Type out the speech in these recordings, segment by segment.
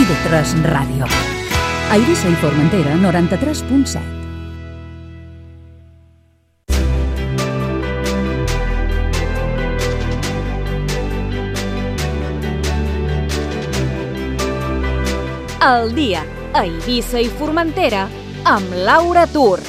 TV3 Ràdio. A Eivissa i Formentera, 93.7. El dia a Eivissa i Formentera amb Laura Tur.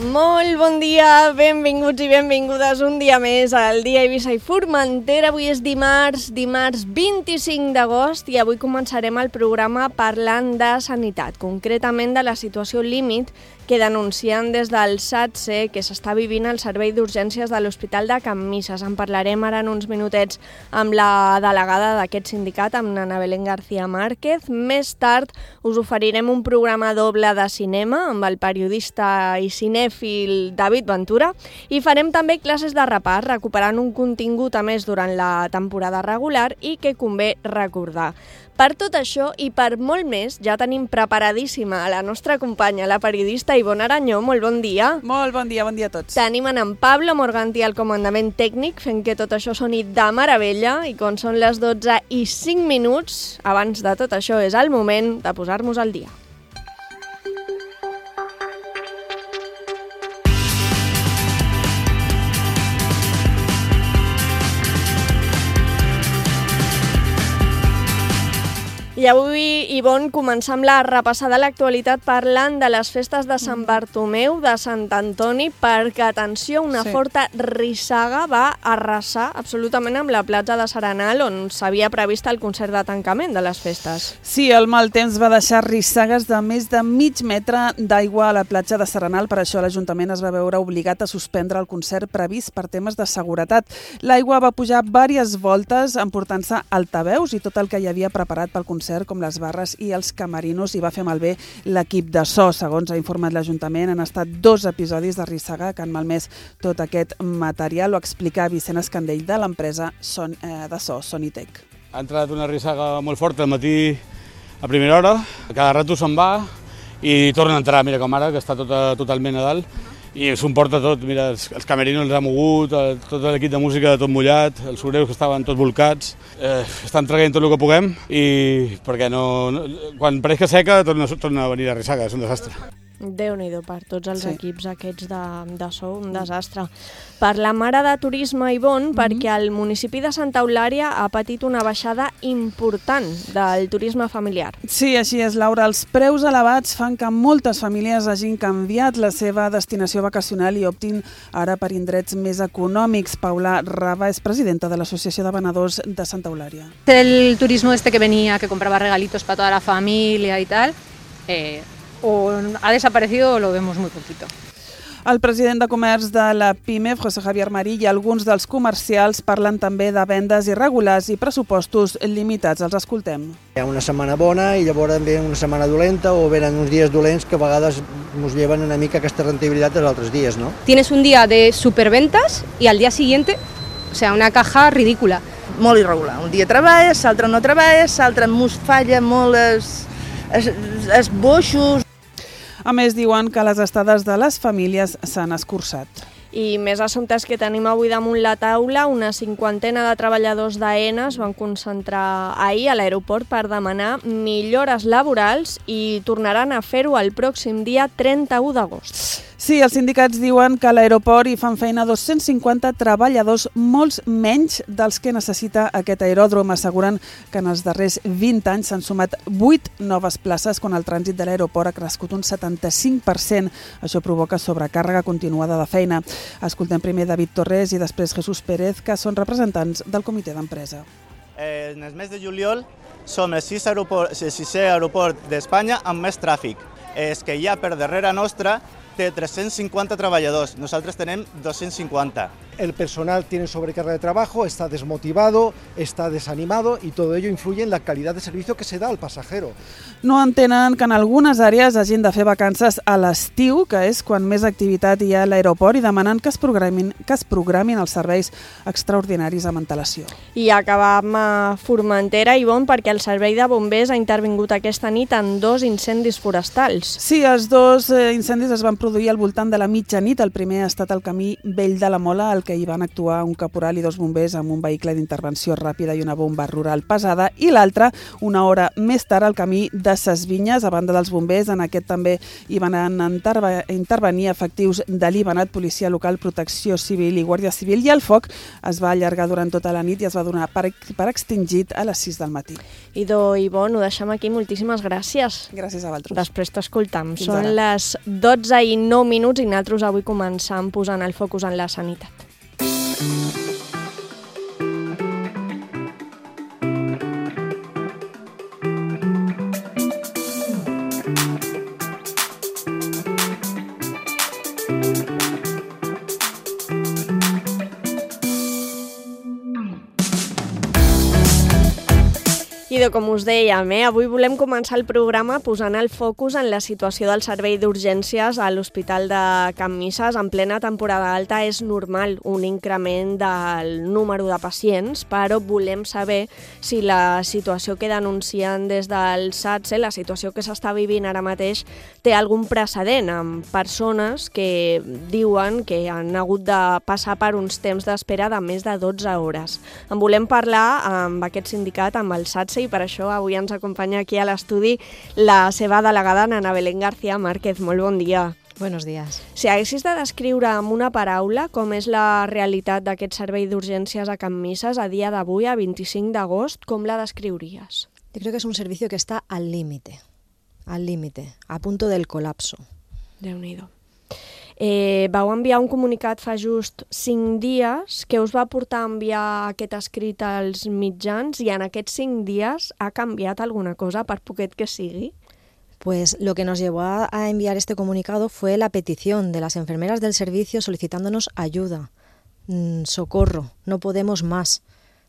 Molt bon dia, benvinguts i benvingudes un dia més al dia Eivissa i Formentera. Avui és dimarts 25 d'agost i avui començarem el programa parlant de sanitat, concretament de la situació límit que denuncien des del SATSE que s'està vivint al servei d'urgències de l'Hospital de Can Misses. En parlarem ara en uns minutets amb la delegada d'aquest sindicat, amb Ana Belén García Márquez. Més tard us oferirem un programa doble de cinema amb el periodista i cinèfil David Ventura i farem també classes de repàs, recuperant un contingut a més durant la temporada regular i que convé recordar. Per tot això i per molt més, ja tenim preparadíssima a la nostra companya, la periodista Ivonne Aranyó. Molt bon dia. Molt bon dia a tots. Tenim en Pablo Morganti al comandament tècnic, fent que tot això soni de meravella, i quan són les 12:05, abans de tot això és el moment de posar-nos al dia. I avui, Ivonne, començam la repassada a l'actualitat parlant de les festes de Sant Bartomeu, de Sant Antoni, perquè, atenció, una forta rissaga va arrasar absolutament amb la platja de Serenal, on s'havia previst el concert de tancament de les festes. Sí, el mal temps va deixar rissagues de més de mig metre d'aigua a la platja de Serenal. Per això l'Ajuntament es va veure obligat a suspendre el concert previst per temes de seguretat. L'aigua va pujar diverses voltes, emportant-se altaveus i tot el que hi havia preparat pel concert, com les barres i els camerinos, i va fer malbé l'equip de so. Segons ha informat l'Ajuntament, han estat 2 episodis de rissaga que han malmès tot aquest material. Ho explica Vicent Escandell de l'empresa de so Sonitec. Ha entrat una rissaga molt forta al matí a primera hora, cada rato se'n va i torna a entrar, mira com ara, que està totalment a dalt. I s'ho emporta tot, mira, els camerinos els ha mogut, tot l'equip de música tot mullat, els soreus que estaven tots volcats. Estan traient tot el que puguem i perquè quan pareix que seca torna a venir la rissaga, és un desastre. Déu-n'hi-do per tots els equips aquests de so, un desastre. Per la mare de turisme, Ivonne, perquè el municipi de Santa Eulària ha patit una baixada important del turisme familiar. Sí, així és, Laura. Els preus elevats fan que moltes famílies hagin canviat la seva destinació vacacional i optin ara per indrets més econòmics. Paula Rava és presidenta de l'Associació de Venedors de Santa Eulària. El turismo que venía, que compraba regalitos para toda la familia y tal, o ha desaparecido o lo vemos muy poquito. El president de comerç de la PIMEF, José Javier Marí, i alguns dels comercials parlen també de vendes irregulars i pressupostos limitats. Els escoltem. Hi ha una setmana bona i llavors ve una setmana dolenta o venen uns dies dolents que a vegades ens lleven una mica aquesta rendibilitat dels altres dies, no? Tienes un día de superventas y al día siguiente, o sea, una caja ridícula. Molt irregular. Un dia treballes, l'altre no treballes, l'altre mos falla molt els boixos. A més, diuen que les estades de les famílies s'han escurçat. I més assumptes que tenim avui damunt la taula, una 50ena de treballadors d'AENA es van concentrar ahir a l'aeroport per demanar millores laborals i tornaran a fer-ho el pròxim dia 31 d'agost. Sí, els sindicats diuen que a l'aeroport hi fan feina 250 treballadors, molts menys dels que necessita aquest aeròdrom. Asseguren que en els darrers 20 anys s'han sumat 8 noves places quan el trànsit de l'aeroport ha crescut un 75%. Això provoca sobrecàrrega continuada de feina. Escoltem primer David Torres i després Jesús Pérez, que són representants del comitè d'empresa. En el mes de juliol som el sisè aeroport d'Espanya amb més tràfic. És que ja per darrere nostra té 350 treballadors, nosaltres tenem 250. El personal tiene sobrecarga de trabajo, está desmotivado, está desanimado y todo ello influye en la calidad de servicio que se da al pasajero. No entenen que en algunes àrees hagin de fer vacances a l'estiu, que és quan més activitat hi ha a l'aeroport, i demanen que es programin els serveis extraordinaris amb antelació. I acabam a Formentera, Ivonne, perquè el servei de bombers ha intervingut aquesta nit en 2 incendis forestals. Sí, els 2 incendis es van produir al voltant de la mitjanit. El primer ha estat al camí Vell de la Mola, al que hi van actuar un caporal i 2 bombers amb un vehicle d'intervenció ràpida i una bomba rural pesada, i l'altre, una hora més tard, al camí de Ses Vinyes. A banda dels bombers, en aquest també hi van intervenir efectius de l'Ibanat, Policia Local, Protecció Civil i Guàrdia Civil, i el foc es va allargar durant tota la nit i es va donar per extingit a les 6 del matí. Idò, Ivonne, ho deixem aquí. Moltíssimes gràcies. Gràcies a vosaltres. Després t'escoltam. Són les 12:09 i nosaltres avui començam posant el focus en la sanitat. Com us dèiem, avui volem començar el programa posant el focus en la situació del servei d'urgències a l'Hospital de Can Misses. En plena temporada alta és normal un increment del número de pacients, però volem saber si la situació que denuncien des del SATSE, la situació que s'està vivint ara mateix, té algun precedent amb persones que diuen que han hagut de passar per uns temps d'espera de més de 12 hores. En volem parlar amb aquest sindicat, amb el SATSE, i per això avui ens acompanya aquí a l'estudi la seva delegada, Ana Belén García Márquez. Molt bon dia. Buenos días. Si haguessis de descriure amb una paraula com és la realitat d'aquest servei d'urgències a Can Misses a dia d'avui, a 25 d'agost, com la descriuries? Yo creo que es un servicio que está al límite, a punto del colapso. Déu-n'hi-do. Vau enviar un comunicat fa just 5 dies que us va portar a enviar aquest escrit als mitjans, i en aquests 5 dies ha canviat alguna cosa, per poquet que sigui? Pues lo que nos llevó a enviar este comunicado fue la petición de las enfermeras del servicio solicitándonos ayuda, socorro, no podemos más,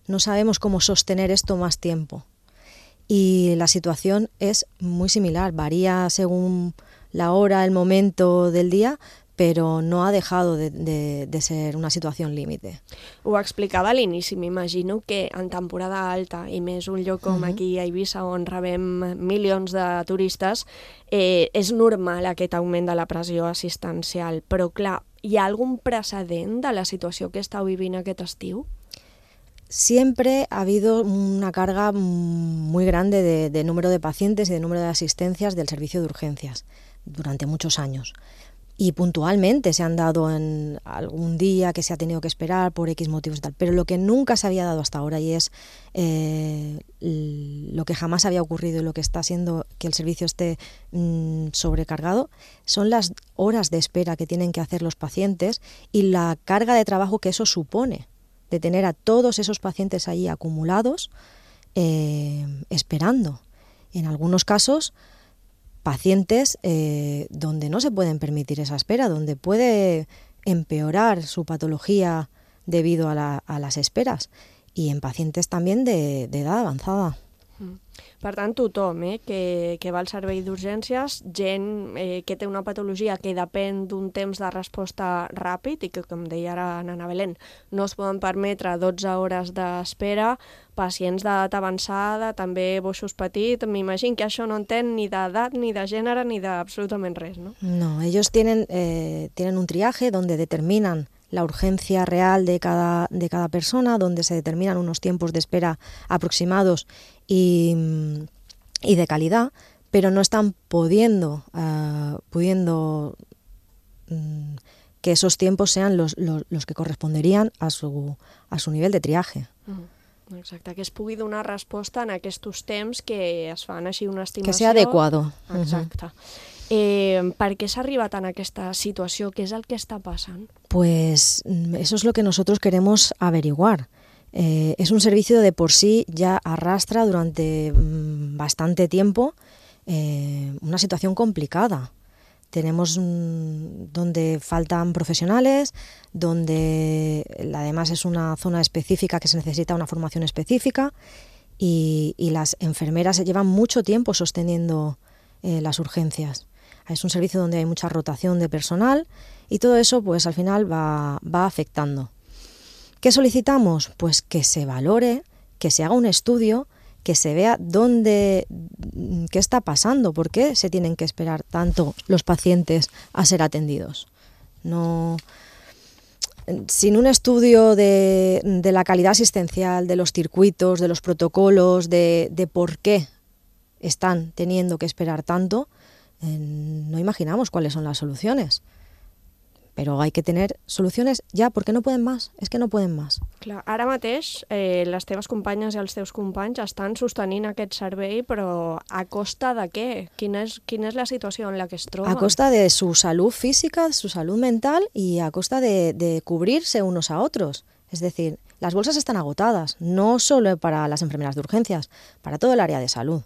no sabemos cómo sostener esto más tiempo. Y la situación es muy similar, varía según la hora, el momento del día, però no ha dejado de ser una situació límite. Ho explicava a l'inici, m'imagino que en temporada alta, i més un lloc com aquí a Eivissa, on rebem milions de turistes, és normal aquest augment de la pressió assistencial, però clar, hi ha algun precedent de la situació que estàu vivint aquest estiu? Siempre ha habido una carga muy grande de número de pacientes y de número de asistencias del servicio de urgencias durante muchos años. Y puntualmente se han dado en algún día que se ha tenido que esperar por X motivos y tal, pero lo que nunca se había dado hasta ahora, y es lo que jamás había ocurrido y lo que está haciendo que el servicio esté sobrecargado, son las horas de espera que tienen que hacer los pacientes y la carga de trabajo que eso supone, de tener a todos esos pacientes ahí acumulados esperando. En algunos casos, pacientes donde no se pueden permitir esa espera, donde puede empeorar su patología debido a las esperas, y en pacientes también de edad avanzada. Per tant, tothom que va al servei d'urgències, gent que té una patologia que depèn d'un temps de resposta ràpid i que, com deia ara Ana Belén, no es poden permetre 12 hores d'espera, pacients d'edat avançada, també boixos petits, m'imagino que això no entén ni d'edat, ni de gènere, ni d'absolutament res, ¿no? No, ellos tienen un triaje donde determinan la urgencia real de cada persona, donde se determinan unos tiempos de espera aproximados y de calidad, pero no están pudiendo que esos tiempos sean los que corresponderían a su nivel de triaje. Exacte, que es pugui donar resposta en aquests temps que es fan així una estimació. Que sea adecuado. Exacte. ¿Per qué s'ha arribat en aquesta situació? ¿Qué es el que está pasando? Pues eso es lo que nosotros queremos averiguar. Es un servicio de por sí ya arrastra durante bastante tiempo una situación complicada. Tenemos donde faltan profesionales, donde además es una zona específica que se necesita una formación específica, y las enfermeras se llevan mucho tiempo sosteniendo las urgencias. Es un servicio donde hay mucha rotación de personal y todo eso pues al final va afectando. ¿Qué solicitamos? Pues que se valore, que se haga un estudio, que se vea qué está pasando, por qué se tienen que esperar tanto los pacientes a ser atendidos. No, sin un estudio de la calidad asistencial, de los circuitos, de los protocolos, de por qué están teniendo que esperar tanto, no imaginamos cuáles son las soluciones. Però hay que tener soluciones ja, perquè no poden més, és que no poden més. Clar, ara mateix les teves companyes i els teus companys estan sostenint aquest servei, però a costa de què? Quina és la situació en la que es troben? A costa de su salud física, de su salud mental y a costa de cubrirse unos a otros. Es decir, las bolsas están agotadas, no solo para las enfermeras de urgencias, para todo el área de salud.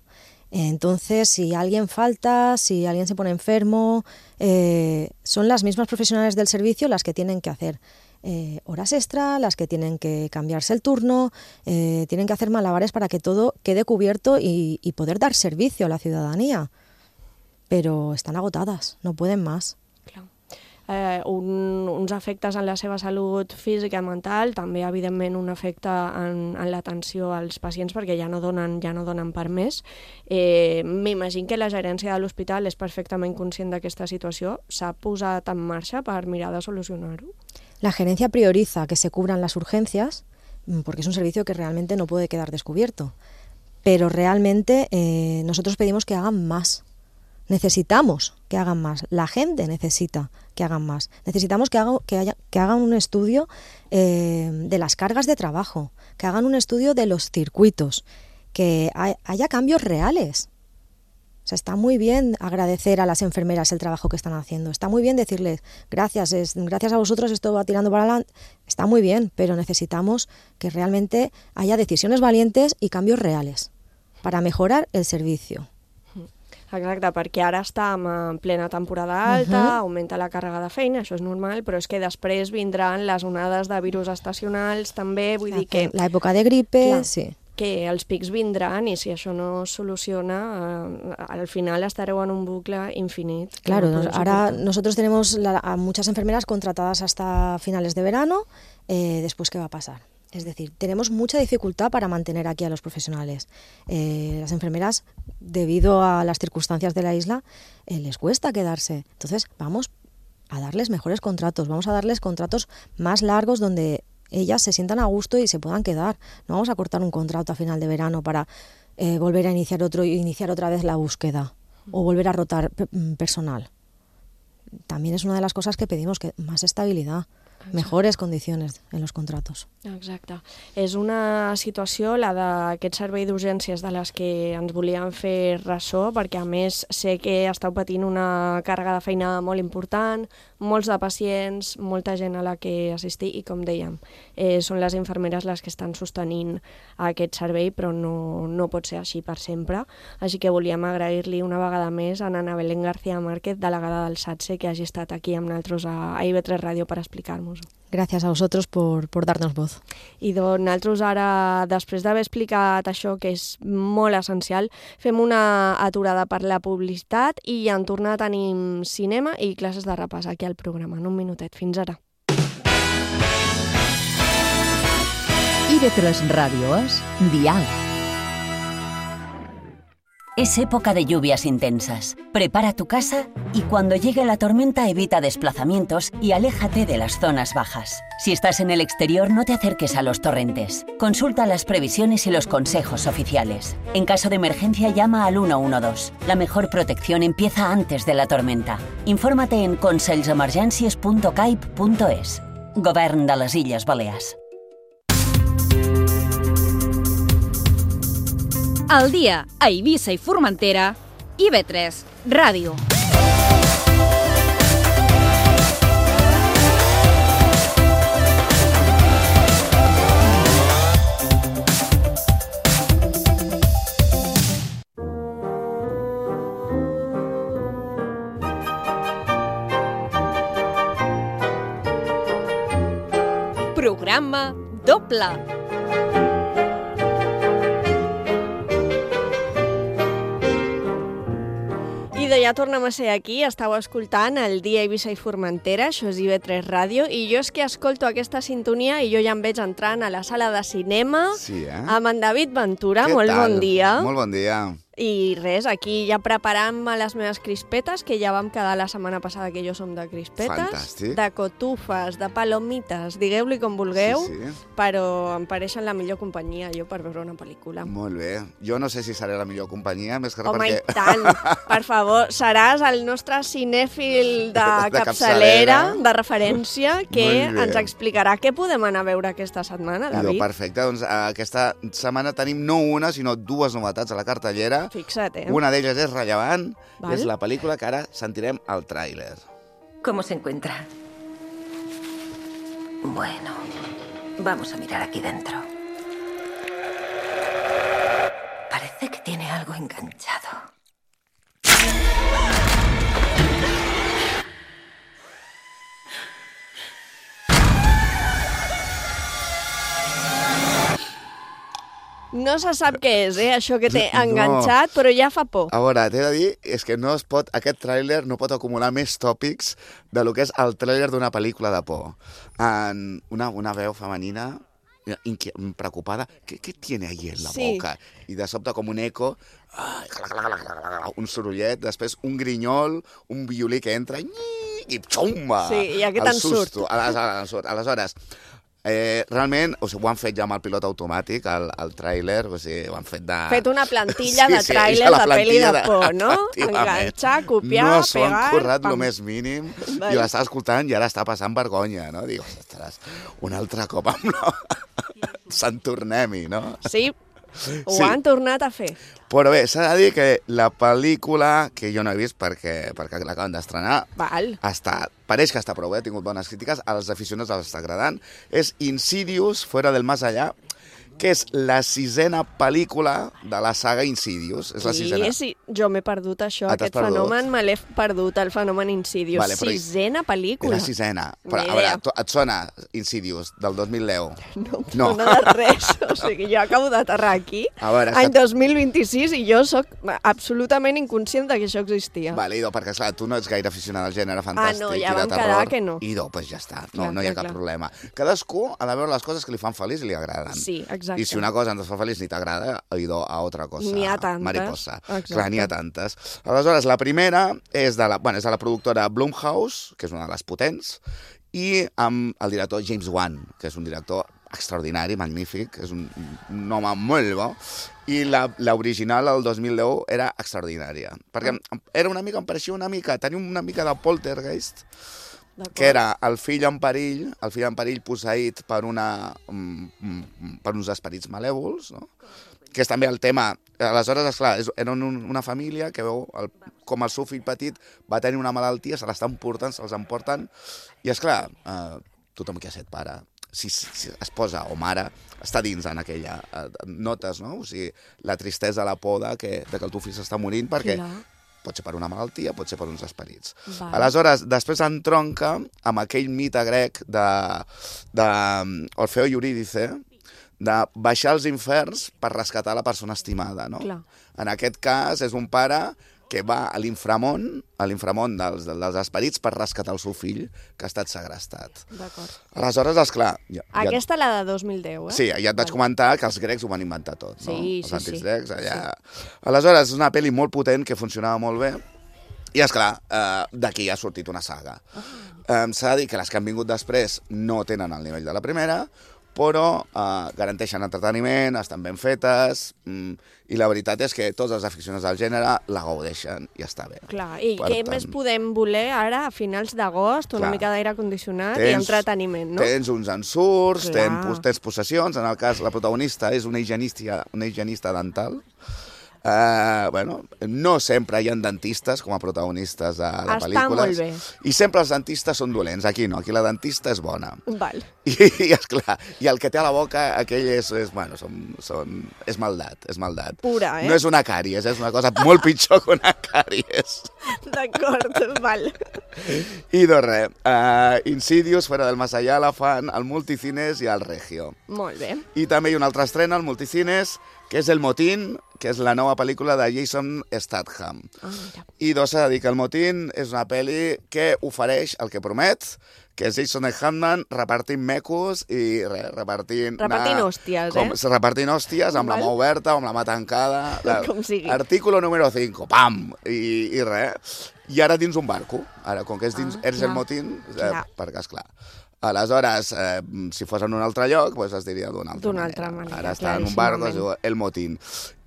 Entonces, si alguien falta, si alguien se pone enfermo, son las mismas profesionales del servicio las que tienen que hacer horas extra, las que tienen que cambiarse el turno, tienen que hacer malabares para que todo quede cubierto y poder dar servicio a la ciudadanía. Pero están agotadas, no pueden más. Claro. Uns efectes en la seva salut física i mental, també evidentment un efecte en l'atenció als pacients perquè ja no donen per més. M'imagino que la gerència de l'hospital és perfectament conscient d'aquesta situació. S'ha posat en marxa per mirar de solucionar-ho? La gerencia prioriza que se cubran las urgencias porque es un servicio que realmente no puede quedar descubierto. Pero realmente nosotros pedimos que hagan más. Necesitamos que hagan más. La gente necesita que hagan más. Necesitamos que hagan un estudio de las cargas de trabajo, que hagan un estudio de los circuitos, que haya cambios reales. O sea, está muy bien agradecer a las enfermeras el trabajo que están haciendo. Está muy bien decirles, gracias a vosotros esto va tirando para adelante. Está muy bien, pero necesitamos que realmente haya decisiones valientes y cambios reales para mejorar el servicio. Exacte, perquè ara estem en plena temporada alta, augmenta la càrrega de feina, això és normal, però és que després vindran les onades de virus estacionals també, vull dir que... L'època de gripe, clar, sí. Que els pics vindran i si això no es soluciona, al final estareu en un bucle infinit. Claro, ahora nosotros tenemos a muchas enfermeras contratadas hasta finales de verano, después ¿qué va a pasar? Es decir, tenemos mucha dificultad para mantener aquí a los profesionales. Las enfermeras, debido a las circunstancias de la isla, les cuesta quedarse. Entonces, vamos a darles mejores contratos, vamos a darles contratos más largos donde ellas se sientan a gusto y se puedan quedar. No vamos a cortar un contrato a final de verano para volver a iniciar otro y iniciar otra vez la búsqueda o volver a rotar personal. También es una de las cosas que pedimos, que más estabilidad. Mejores condiciones en los contratos. Exacte. És una situació, la d'aquest servei d'urgències, de les que ens volíem fer ressò, perquè a més sé que esteu patint una càrrega de feina molt important, molts de pacients, molta gent a la que assistir i, com dèiem, són les infermeres les que estan sostenint aquest servei, però no pot ser així per sempre. Així que volíem agrair-li una vegada més a Ana Belén García Márquez, delegada del SATSE, que hagi estat aquí amb nosaltres a IB3 Ràdio per explicar-nos. Gracias a vosotros por darnos voz. I doncs nosaltres ara, després d'haver explicat això, que és molt essencial, fem una aturada per la publicitat i en tornar tenim cinema i classes de repàs aquí al programa. En un minutet. Fins ara. IB3 Ràdio és Dial. Es época de lluvias intensas. Prepara tu casa y cuando llegue la tormenta evita desplazamientos y aléjate de las zonas bajas. Si estás en el exterior, no te acerques a los torrentes. Consulta las previsiones y los consejos oficiales. En caso de emergencia, llama al 112. La mejor protección empieza antes de la tormenta. Infórmate en conselsemergències.caip.es. Govern de les Illes Balears. Al dia a Eivissa i Formentera, IB3 Ràdio. Programa doble. I ja tornem a ser aquí, estàu escoltant el dia Eivissa i Formentera, això és IB3 Ràdio, i jo és que escolto aquesta sintonia i jo ja em veig entrant a la sala de cinema amb en David Ventura. Molt bon dia. Molt bon dia. I res, aquí ja preparant les meves crispetes, que ja vam quedar la setmana passada que jo som de crispetes. Fantàstic. De cotufes, de palomites, digueu-li com vulgueu, però em pareixen la millor companyia jo per veure una pel·lícula. Molt bé. Jo no sé si seré la millor companyia, més que res Home, perquè... i tant, per favor, seràs el nostre cinèfil de capçalera, de referència, que ens explicarà què podem anar a veure aquesta setmana, David. Perfecte, doncs aquesta setmana tenim no una, sinó dues novetats a la cartellera. Fixa't, Una d'elles és rellevant, és la pel·lícula que ara sentirem al tràiler. ¿Cómo se encuentra? Bueno, vamos a mirar aquí dentro. Parece que tiene algo enganchado. No se sap què és, això que té enganxat, però ja fa por. A veure, t'he de dir, és que no es pot, aquest tràiler no pot acumular més tòpics de lo que és el tràiler d'una pel·lícula de por. Una veu femenina preocupada, ¿qué tiene ahí en la boca? I de sobte com un eco, un sorollet, després un grinyol, un violí que entra i xumba! Sí, i aquest en surt. Aleshores, realment, ho han fet ja amb el pilot automàtic, el tràiler, ho han fet de... Fet una plantilla de tràiler de pel·li de por, no? Enganxar, copiar, pegar... No s'ho han currat el més mínim, i l'estava escoltant i ara està passant vergonya, no? Dic, ostres, un altre cop amb Sant Tornem-hi, no? Sí, ho han tornat a fer. Però bé, s'ha de dir que la pel·lícula, que jo no he vist perquè l'acaben d'estrenar, pareix que està prou bé, ha tingut bones crítiques, als aficionats els està agradant, és Insidious, Fuera del Más Allá, que és la 6a pel·lícula de la saga Insidious. És la 6a. Sí, jo m'he perdut això, aquest fenomen me l'he perdut, el fenomen Insidious. Vale, 6a pel·lícula. És la 6a. Però, a veure, et sona Insidious, del 2010? No de res. O sigui, jo acabo d'aterrar aquí, any 2026, i jo sóc absolutament inconscient que això existia. Vale, Ido, perquè, esclar, tu no ets gaire aficionada al gènere fantàstic no, ja i de vam terror. quedar que no. Ido, doncs ja està, no hi ha cap problema. Cadascú ha de veure les coses que li fan feliç i li agraden. Sí, exacte. I si una cosa ens fa feliç ni t'agrada, Ido, a altra cosa. N'hi ha tantes. Mariposa. Exacte. Clar, n'hi ha tantes. Aleshores, la primera és de la productora Blumhouse, que és una de les potents, i amb el director James Wan, que és un director extraordinari, magnífic, és un home molt bo, i l'original, el 2010, era extraordinària. Perquè em pareixia una mica, tenia una mica de poltergeist, que era el fill en perill posseït per uns esperits malèvols, no? Que és també el tema. Aleshores, esclar, era una família que veu com el seu fill petit va tenir una malaltia, se l'estan portant, se'ls emporten, i esclar, tothom que ha set pare, si es posa, o mare, està dins en aquella... Notes, no? O sigui, la tristesa, la por que el teu fill s'està morint, perquè pot ser per una malaltia, pot ser per uns esperits. Aleshores, després entronca amb aquell mite grec d'Orfeo i Eurídice, de baixar als inferns per rescatar la persona estimada, no? En aquest cas, és un pare que va a l'inframont dels esperits per rescatar el seu fill, que ha estat segrestat. D'acord. Aleshores, esclar... Aquesta la de 2010, eh? Sí, ja et vaig comentar que els grecs ho van inventar tot, no? Sí. Els antics grecs, allà... Aleshores, és una pel·li molt potent, que funcionava molt bé, i, esclar, d'aquí ha sortit una saga. S'ha de dir que les que han vingut després no tenen el nivell de la primera, però garanteixen entreteniment, estan ben fetes, i la veritat és que tots els aficionats del gènere la gaudeixen i està bé. Clar, i què més podem voler ara, a finals d'agost, una mica d'aire condicionat i entreteniment, no? Tens uns ensurts, tens possessions, en el cas la protagonista és una higienista dental. No sempre hi ha dentistes com a protagonistes de pel·lícules. Està molt bé. I sempre els dentistes són dolents. Aquí no, aquí la dentista és bona. Val. I esclar, i el que té a la boca, aquell és maldat, és maldat. Pura, eh? No és una càries, és una cosa molt pitjor que una càries. D'acord, val. I doncs res, Insidious, Fuera del Más Allá, la fan al Multicines i al Regio. Molt bé. I també hi ha una altra estrena al Multicines, que és El Motín, que és la nova pel·lícula de Jason Statham. I s'ha de dir que El Motín és una pel·li que ofereix el que promet, que és Jason Statham repartint mecos i repartint... Repartint hòsties, Repartint hòsties amb la mà oberta o amb la mà tancada. Com sigui. Artículo número 5, pam! I res. I ara dins un barco. Ara, com que eres El Motín, perquè, esclar, aleshores, si fos en un altre lloc, es diria d'una altra manera. Ara està en un barco, es diu El Motín.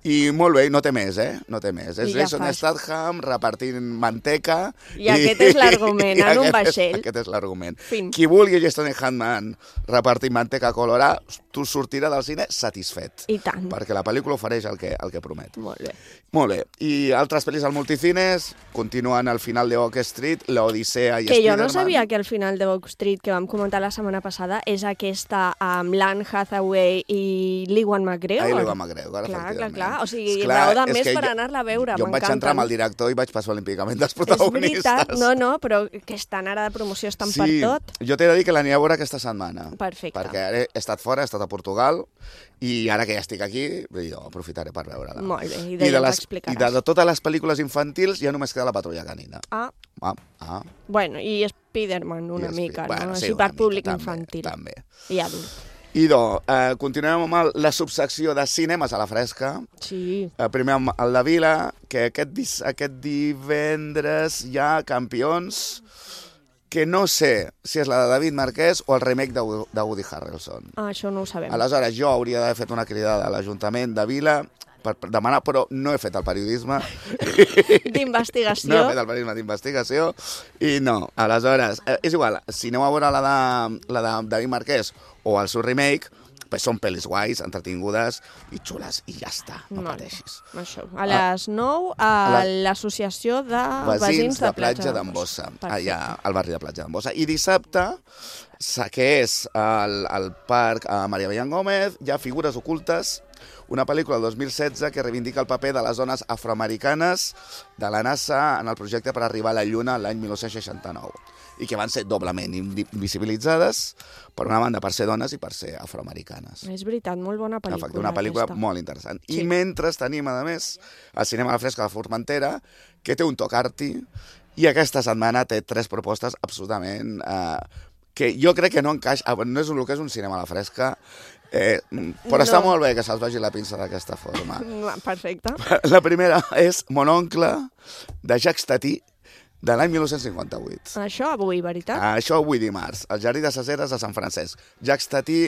I molt bé, no té més, no té més. És Jason Statham repartint manteca... I aquest és l'argument, en un vaixell. Aquest és l'argument. Qui vulgui Jason Statham repartint manteca colorada, tu sortirà del cine satisfet. I tant. Perquè la pel·lícula ofereix el que promet. Molt bé. Molt bé. I altres pel·lis al multicines continuen al final de Oak Street, l'Odissea i que Spider-Man. Jo no sabia que al final de Oak Street, que vam comentar la setmana passada, és aquesta amb l'Anne Hathaway i l'Ewan McGregor. L'Ewan McGregor, efectivament. Clar. O sigui, raó de més per anar-la a veure. Jo em vaig entrar amb el director i vaig passar olímpicament dels protagonistes. És veritat, no, però que estan ara de promoció, estan per tot. Jo t'he de dir que l'aniré a veure aquesta setmana. Perfecte. Perquè he estat fora, he estat a Portugal, i ara que ja estic aquí, jo aprofitaré per veure-la. Molt bé, i d'ella m'explicaràs. I de totes les pel·lícules infantils ja només queda La Patrulla Canina. Bueno, i Spider-Man una mica, no? Així per públic infantil. També. I adult. Idò, continuem amb la subsecció de cinemes a la fresca. Sí. Primer amb el de Vila, que aquest divendres hi ha Campions, que no sé si és la de David Marquès o el remake de Woody Harrelson. Això no ho sabem. Aleshores, jo hauria d'haver fet una cridada a l'Ajuntament de Vila per demanar, però no he fet el periodisme. D'investigació. No he fet el periodisme d'investigació i no. Aleshores, és igual, si aneu a veure la de David Marquès o el seu remake, pues són pel·lis guais, entretingudes i xules, i ja està, no pateixis. Això. A les 9 a l'Associació de Veïns de Platja d'en Bossa, allà al barri de Platja d'en Bossa. I dissabte, que és al Parc Maria Bellán Gómez, hi ha Figures ocultes, una pel·lícula del 2016 que reivindica el paper de les dones afroamericanes de la NASA en el projecte per arribar a la Lluna l'any 1969 i que van ser doblement invisibilitzades, per una banda per ser dones i per ser afroamericanes. És veritat, molt bona pel·lícula. Efecte, una pel·lícula molt interessant. Sí. I mentre tenim, a més, el Cinema a la Fresca de Formentera, que té un toc arty, i aquesta setmana té 3 propostes absolutament... que jo crec que no encaixa... No és el que és un cinema a la fresca, però està molt bé que se'ls vagi la pinça d'aquesta forma. Perfecte. La primera és Mon oncle, de Jacques Tati, de l'any 1958. Això avui, veritat? Això avui dimarts, al Jardí de ses Eres de Sant Francesc. Jacques Tati,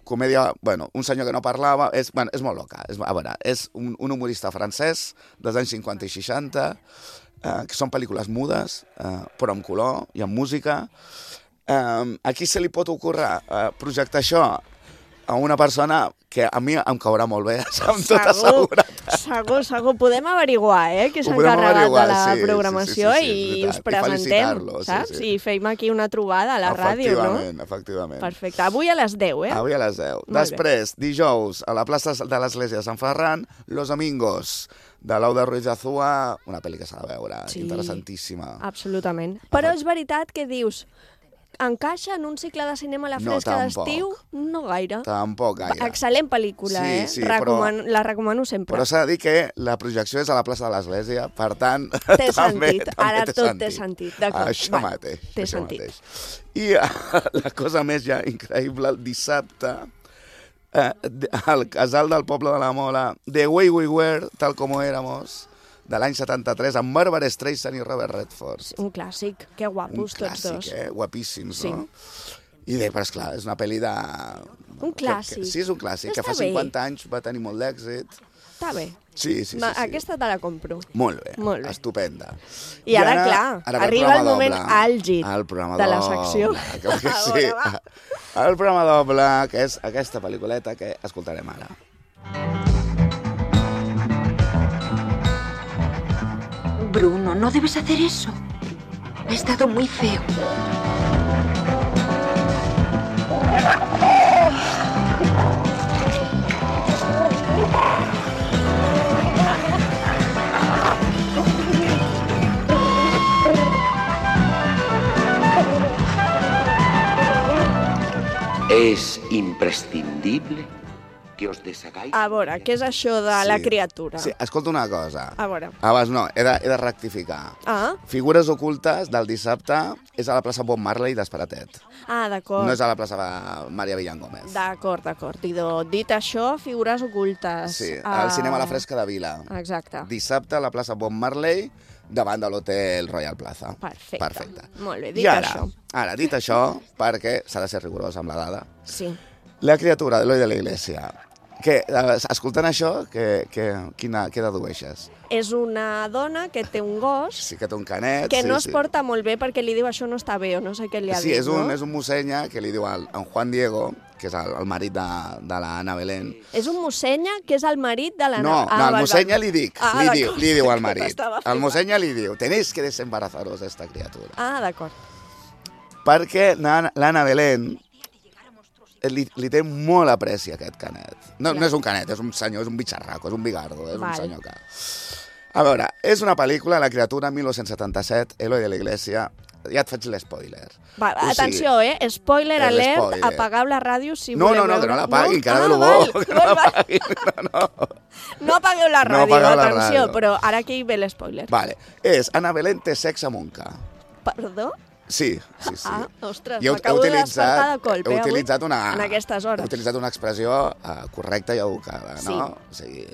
comèdia, bueno, un senyor que no parlava, és molt loca. A veure, és un humorista francès dels anys 50 i 60, que són pel·lícules mudes, però amb color i amb música. A qui se li pot ocórrer projectar això? A una persona que a mi em caurà molt bé, amb tota seguretat. Segur. Podem averiguar, que s'ha encarregat de la programació i us presentem, saps? I fem aquí una trobada a la ràdio, no? Efectivament. Perfecte. Avui a les 10, Avui a les 10. Després, dijous, a la plaça de l'Església de Sant Ferran, Los Amigos, de Lauda Ruiz Azúa, una pel·li que s'ha de veure, interessantíssima. Absolutament. Però és veritat que dius... Encaixa en un cicle de cinema a la fresca d'estiu? No gaire. Tampoc gaire. Excel·lent pel·lícula, la recomano sempre. Però s'ha de dir que la projecció és a la plaça de l'Església, per tant... Té sentit, ara tot té sentit. Això mateix. Té sentit. I la cosa més ja increïble, el dissabte, al casal del Poble de la Mola, The Way We Were, tal como éramos, de l'any 73, amb Barbara Streisand i Robert Redford. Un clàssic, que guapos tots dos. Un clàssic, guapíssims, no? I però esclar, és una pel·li de... Un clàssic. Sí, és un clàssic, que fa 50 anys va tenir molt d'èxit. Està bé. Sí. Aquesta te la compro. Molt bé, estupenda. I ara, clar, arriba el moment àlgid de la secció. Sí, el programa doble, que és aquesta pel·lículeta que escoltarem ara. Bruno, no debes hacer eso. Ha estado muy feo. Es imprescindible que os deshagáis... A veure, què és això de la criatura? Sí, escolta una cosa. A veure. Abans no, he de rectificar. Figures ocultes del dissabte és a la plaça Bob Marley d'Esperatet. D'acord. No és a la plaça Maria Villangómez. D'acord. Dit això, figures ocultes. Sí, al cinema La Fresca de Vila. Exacte. Dissabte a la plaça Bob Marley, davant de l'hotel Royal Plaza. Perfecte. Molt bé, dit això. Ara, dit això, perquè s'ha de ser rigorós amb la dada. Sí. La criatura d'Eloi de la Iglesia. Escoltant això, què dedueixes? És una dona que té un gos... Sí, que té un canet. Que no es porta molt bé perquè li diu això no està bé o no sé què li ha dit, no? Sí, és un mossenya que li diu al Juan Diego, que és el marit de la Ana Belén. És un mossenya que és el marit de la... No, el mossenya li diu al marit. El mossenya li diu, tenéis que desembarazaros d'esta criatura. D'acord. Perquè l'Ana Belén li té molt apreci a aquest canet. No és un canet, és un senyor, és un bitxarraco, és un bigardo, és un senyor que... A veure, és una pel·lícula, La criatura, 1977, Eloi de la Iglesia. Ja et faig l'espoiler. Atenció, spoiler alert, apagueu la ràdio si voleu veure. Que no l'apaguin, que ara ve lo bo. Que no l'apaguin, no apagueu la ràdio, atenció, però ara aquí ve l'espoiler. Vale, és Ana Belén té sexe amb un ca. Perdó? Sí. Ostres, m'acabo de despertar de colp, en aquestes hores. He utilitzat una expressió correcta i educada, no? O sigui...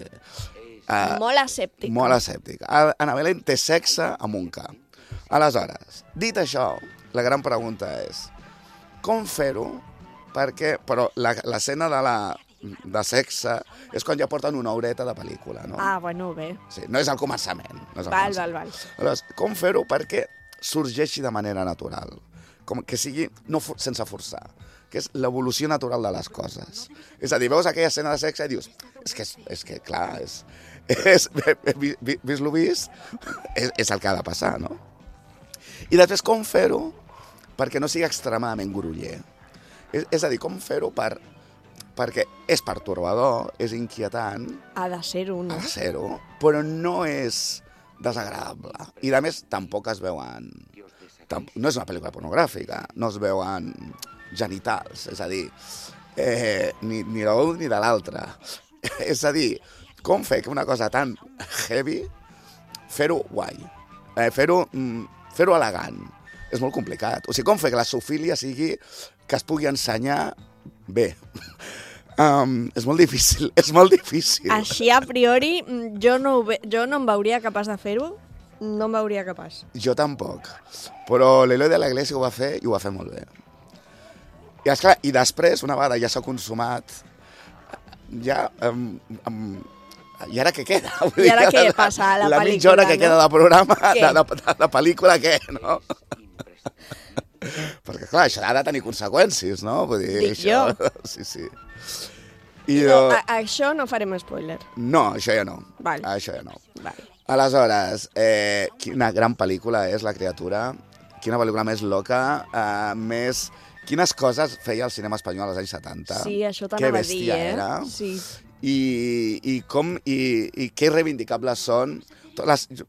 Molt asèptica. Molt asèptica. Ana Belén té sexe amb un ca. Aleshores, dit això, la gran pregunta és com fer-ho? Perquè, però l'escena de sexe és quan ja porten una horeta de pel·lícula, no? Bueno, bé. Sí, no és el començament. Val. Aleshores, com fer-ho perquè sorgeixi de manera natural? Que sigui sense forçar, que és l'evolució natural de les coses. És a dir, veus aquella escena de sexe i dius, és que clar, vist lo vist, és el que ha de passar, no? I després, com fer-ho perquè no sigui extremadament groller? És a dir, com fer-ho perquè és pertorbador, és inquietant... Ha de ser-ho, no? Ha de ser-ho, però no és desagradable. I, a més, tampoc es veuen... No és una pel·lícula pornogràfica, no es veuen genitals, és a dir, ni de l'un ni de l'altre. És a dir, com fer que una cosa tan heavy, fer-ho guai, fer-ho elegant. És molt complicat. O sigui, com fer que la zoofilia sigui que es pugui ensenyar bé. És molt difícil, Així, a priori, jo no em veuria capaç de fer-ho, no em veuria capaç. Jo tampoc, però l'Eloi de la Iglesia ho va fer i ho va fer molt bé. I, esclar, i després, una vegada ja s'ha consumat, ja... I ara què queda? I ara què passa a la pel·lícula? La mitja hora que queda de programa, de pel·lícula, què, no? Perquè, clar, això ha de tenir conseqüències, no? Vull dir, dic jo. Sí. Això no farem spoiler. No, això ja no. Això ja no. Aleshores, quina gran pel·lícula és La criatura, quina pel·lícula més loca, més... Quines coses feia el cinema espanyol als anys 70. Sí, això t'anava a dir, Que bèstia era. Sí. I què reivindicables són.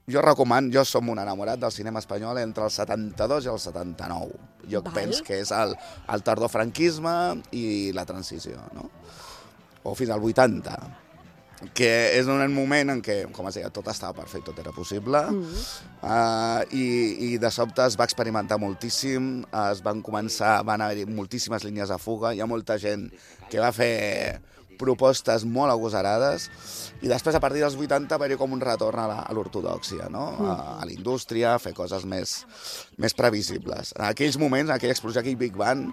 Jo recomano, jo som un enamorat del cinema espanyol entre el 72 i el 79. Jo penso que és el tardofranquisme i la transició, no? O fins al 80, que és un moment en què, com es deia, tot estava per fer, tot era possible, i de sobte es va experimentar moltíssim, van haver-hi moltíssimes línies de fuga, hi ha molta gent que va fer propostes molt agosarades, i després, a partir dels 80, va haver-hi com un retorn a l'ortodòxia, no? A la indústria, a fer coses més previsibles. En aquells moments, en aquella explosió, aquell Big Bang,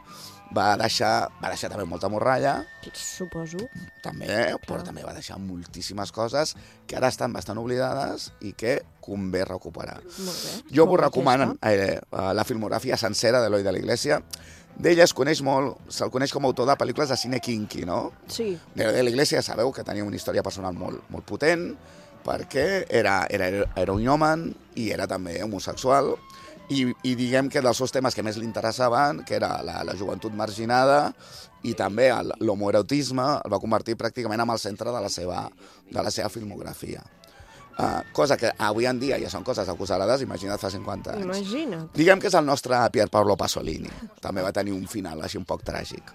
va deixar també molta morralla. Suposo. També, però també va deixar moltíssimes coses que ara estan bastant oblidades i que convé recuperar. Molt bé. Jo vos recomano la filmografia sencera d'Eloi de la Iglesia. D'ell se'l coneix com a autor de pel·lícules de cine kinky, no? Sí. De la Iglesia ja sabeu que tenia una història personal molt potent, perquè era un home i era també homosexual, i diguem que dels seus temes que més li interessaven, que era la joventut marginada i també l'homoerotisme, el va convertir pràcticament en el centre de la seva filmografia. Cosa que avui en dia ja són coses acusades, imagina't fa 50 anys. Imagina't. Diguem que és el nostre Pier Paolo Pasolini. També va tenir un final així un poc tràgic.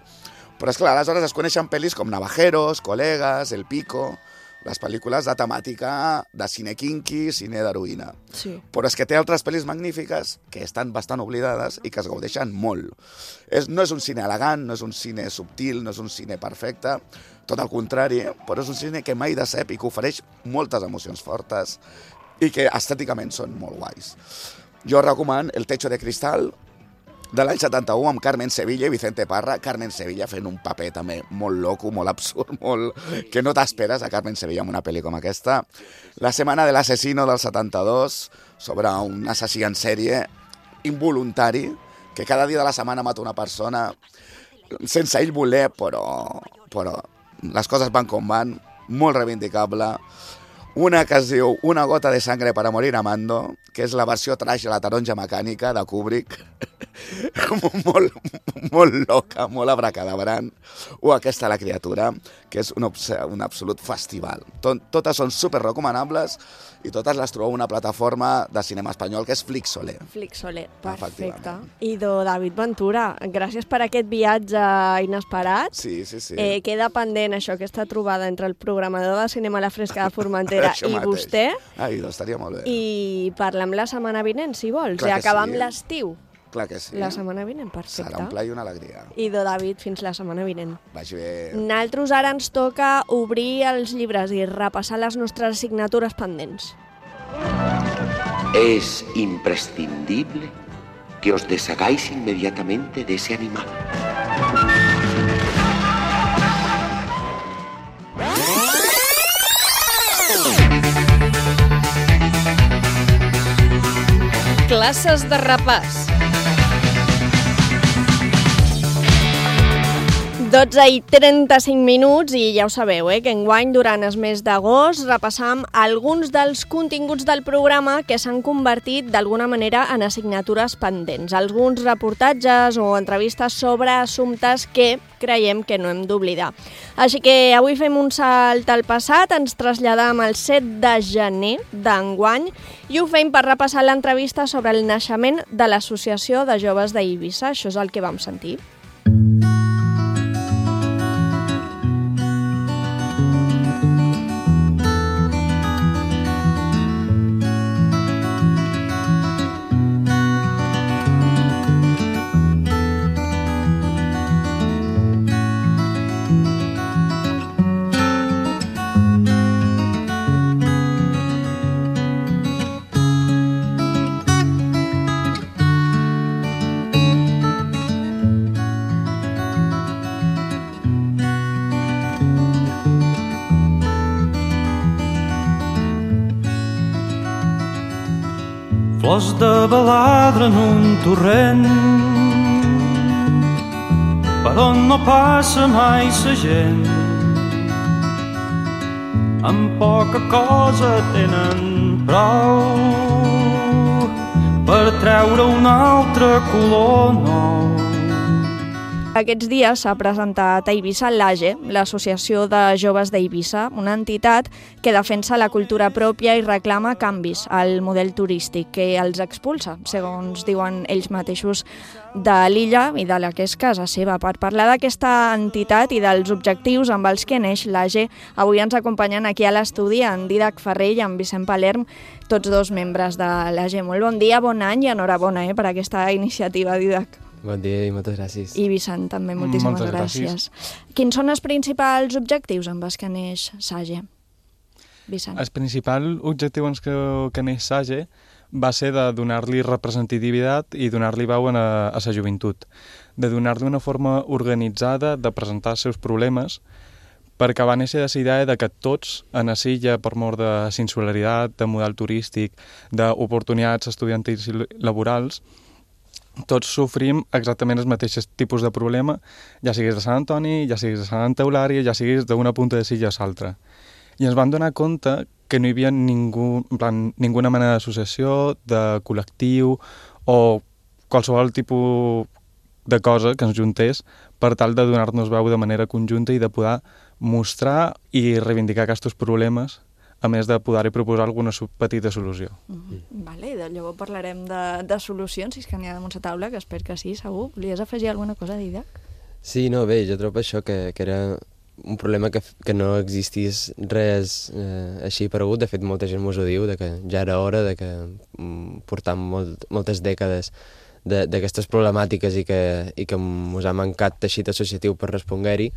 Però, esclar, aleshores es coneixen pel·lis com Navajeros, Colegas, El Pico, les pel·lícules de temàtica de cine kinky, cine d'heroïna. Sí. Però és que té altres pel·lis magnífiques que estan bastant oblidades i que es gaudeixen molt. No és un cine elegant, no és un cine subtil, no és un cine perfecte, tot el contrari, però és un cine que mai decep i que ofereix moltes emocions fortes i que estèticament són molt guais. Jo recomano El techo de cristal, de l'any 71, amb Carmen Sevilla i Vicente Parra. Carmen Sevilla fent un paper també molt loco, molt absurd, que no t'esperes a Carmen Sevilla en una pel·li com aquesta. La setmana de l'assassino del 72, sobre un assassí en sèrie involuntari, que cada dia de la setmana mata una persona sense ell voler, però les coses van com van, molt reivindicable. Una que es diu Una gota de sangre para morir amando, que és la versió trash de La taronja mecànica de Kubrick, molt loca, molt abracadabrant, o aquesta La criatura, que és un absolut festival. Totes són super recomanables i totes les trobeu a una plataforma de cinema espanyol que és Flixolé. Flixolé, perfecte. Idò David Ventura, gràcies per aquest viatge inesperat. Sí. Queda pendent això, aquesta trobada entre el programador de Cinema a la Fresca de Formentera i vostè. Idò, estaria molt bé. I parlem la setmana vinent, si vols. Clar I que acabar sí. amb l'estiu. Clar que sí. La setmana vinent, perfecte. Serà un plaer i una alegria. Idò David, fins la setmana vinent. Vagi bé. Nosaltres ara ens toca obrir els llibres i repassar les nostres assignatures pendents. Es imprescindible que os deshagáis inmediatamente de ese animal. Classes de repàs. 12:35 i ja ho sabeu, que enguany durant el mes d'agost repassam alguns dels continguts del programa que s'han convertit d'alguna manera en assignatures pendents. Alguns reportatges o entrevistes sobre assumptes que creiem que no hem d'oblidar. Així que avui fem un salt al passat, ens traslladam al 7 de gener d'enguany i ho fem per repassar l'entrevista sobre el naixement de l'Associació de Joves d'Eivissa. Això és el que vam sentir. Flors de baladre en un torrent per on no passa mai sa gent, amb poca cosa tenen prou per treure un altre color nou. Aquests dies s'ha presentat a Eivissa l'AGE, l'Associació de Joves d'Eivissa, una entitat que defensa la cultura pròpia i reclama canvis al model turístic que els expulsa, segons diuen ells mateixos, de l'illa i de la que és casa seva. Per parlar d'aquesta entitat i dels objectius amb els que neix l'AGE, avui ens acompanyen aquí a l'estudi en Dídac Ferrer i en Vicent Palerm, tots dos membres de l'AGE. Molt bon dia, bon any i enhorabona per aquesta iniciativa, Dídac. Bon dia i moltes gràcies. I Vicent, també, moltíssimes gràcies. Quins són els principals objectius amb els que neix SAGE? Vicent. El principal objectiu amb que neix SAGE va ser de donar-li representativitat i donar-li veu a la joventut, de donar-li una forma organitzada de presentar els seus problemes, perquè va néixer la idea de que tots, a la illa, per mort de singularitat, de model turístic, d'oportunitats estudiantils i laborals, tots sofrim exactament els mateixos tipus de problema, ja siguis de Sant Antoni, ja siguis de Sant Eulària, ja siguis d'una punta de silla a l'altra. I ens vam donar compte que no hi havia ninguna mena d'associació, de col·lectiu o qualsevol tipus de cosa que ens juntés per tal de donar-nos veu de manera conjunta i de poder mostrar i reivindicar aquests problemes, a més de poder-hi proposar alguna petita solució. Vale, llavors parlarem de solucions, si és que n'hi ha damunt la taula, que espero que sí, segur. Volies afegir alguna cosa, Dídac? Sí, no, bé, jo trobo això, que era un problema que no existís res així paregut. De fet, molta gent mos ho diu, de que ja era hora, de que portam moltes dècades d'aquestes problemàtiques i que mos ha mancat teixit associatiu per respondre-hi.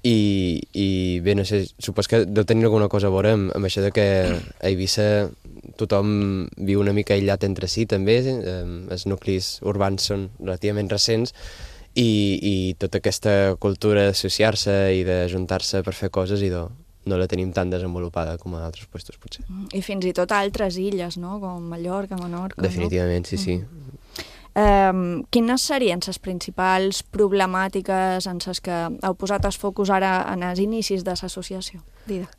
I bé, no sé, supos que deu tenir alguna cosa a veure amb això de que a Eivissa tothom viu una mica aïllat entre si també, els nuclis urbans són relativament recents i tota aquesta cultura d'associar-se i d'ajuntar-se per fer coses no la tenim tan desenvolupada com a altres puestos, potser. I fins i tot a altres illes, no? Com Mallorca, Menorca... Definitivament, sí. Quines serien les principals problemàtiques en les que heu posat el focus ara en els inicis de l'associació? Didac.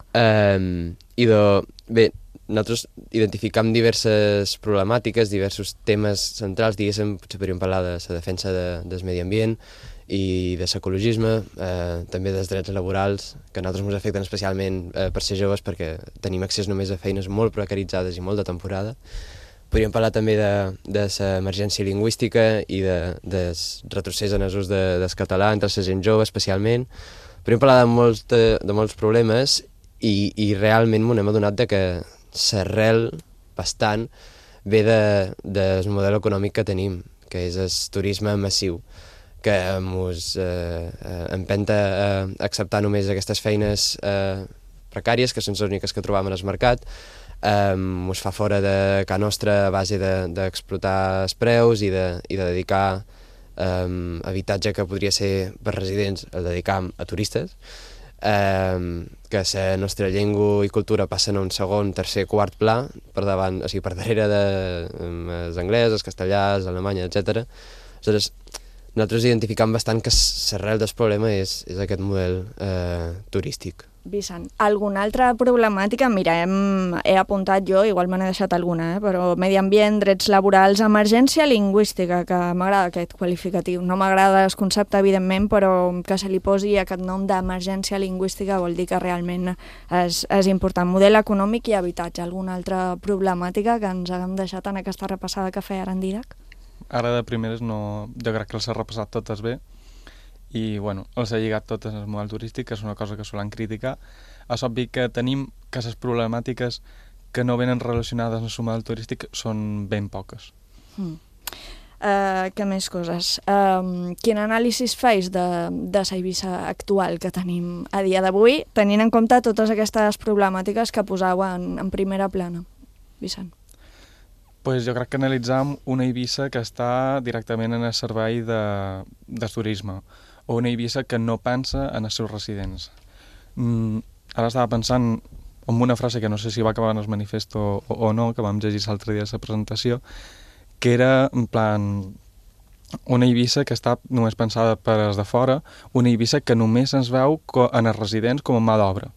Bé, nosaltres identificam diverses problemàtiques, diversos temes centrals, diguéssim, potser podríem parlar de la defensa del medi ambient i de l'ecologisme, també dels drets laborals, que a nosaltres ens afecten especialment per ser joves perquè tenim accés només a feines molt precaritzades i molt de temporada. Podríem parlar també de l'emergència lingüística i del retrocés en l'ús del català entre la gent jove, especialment. Podríem parlar de molts problemes i realment m'hem adonat que l'arrel bastant ve del model econòmic que tenim, que és el turisme massiu, que ens empenta a acceptar només aquestes feines precàries, que són les úniques que trobam en el mercat, ens fa fora de casa nostra a base d'explotar els preus i de dedicar habitatge que podria ser per residents, el dedicam a turistes, que la nostra llengua i cultura passen a un segon, tercer, quart pla, per davant, o sigui, per darrere dels anglès, els castellans, l'alemany, etc. Aleshores, nosaltres identificam bastant que l'arrel del problema és aquest model turístic. Vicent, alguna altra problemàtica? Mira, he apuntat jo, igual me n'he deixat alguna, però medi ambient, drets laborals, emergència lingüística, que m'agrada aquest qualificatiu. No m'agrada el concepte, evidentment, però que se li posi aquest nom d'emergència lingüística vol dir que realment és important. Model econòmic i habitatge. Alguna altra problemàtica que ens haguem deixat en aquesta repassada que feia ara en Didac? Ara de primeres no, jo crec que els ha repassat totes bé. I bueno, els ha lligat totes al model turístic, que és una cosa que solen criticar. És obvi que tenim que les problemàtiques que no venen relacionades amb el model turístic són ben poques. Què més coses? Quin anàlisi feis de la Eivissa actual que tenim a dia d'avui, tenint en compte totes aquestes problemàtiques que posau en primera plana? Vicent. Pues jo crec que analitzam una Eivissa que està directament en el servei de turisme, o una Eivissa que no pensa en els seus residents. Ara estava pensant en una frase que no sé si va acabar en el manifesto o no, que vam llegir l'altre dia a la presentació, que era, en plan, una Eivissa que està només pensada per als de fora, una Eivissa que només ens veu en els residents com a mà d'obra.